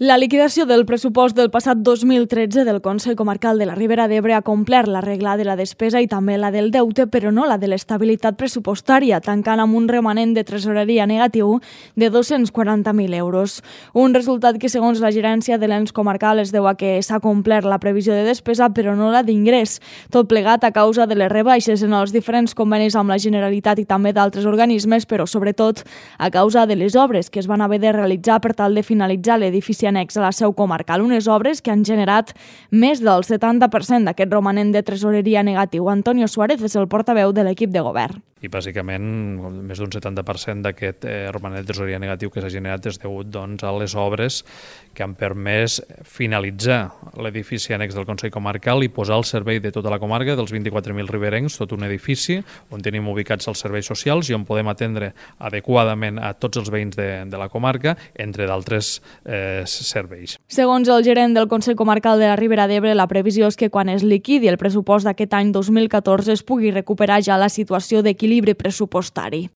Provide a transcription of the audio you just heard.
La liquidació del pressupost del passat 2013 del Consell Comarcal de la Ribera d'Ebre ha complert la regla de la despesa i també la del deute, però no la de l'estabilitat pressupostària, tancant amb un remanent de tresoreria negatiu de 240.000 euros. Un resultat que, segons la gerència de l'ens comarcal, es deu a que s'ha complert la previsió de despesa, però no la d'ingrés. Tot plegat a causa de les rebaixes en els diferents convenis amb la Generalitat i també d'altres organismes, però sobretot a causa de les obres que es van haver de realitzar per tal de finalitzar l'edifici annex a la seu comarcal, unes obres que han generat més del 70% d'aquest romanent de tresoreria negatiu. Antonio Suárez és el portaveu de l'equip de govern. I bàsicament més d'un 70% d'aquest romanent de tresoreria negatiu que s'ha generat és degut a les obres que han permès finalitzar l'edifici annex del Consell Comarcal i posar al servei de tota la comarca, dels 24.000 riberencs, tot un edifici on tenim ubicats els serveis socials i on podem atendre adequadament a tots els veïns de la comarca, entre d'altres serveis. Segons el gerent del Consell Comarcal de la Ribera d'Ebre, la previsió és que quan es liquidi el pressupost d'aquest any 2014 es pugui recuperar ja la situació d'equilibri pressupostari.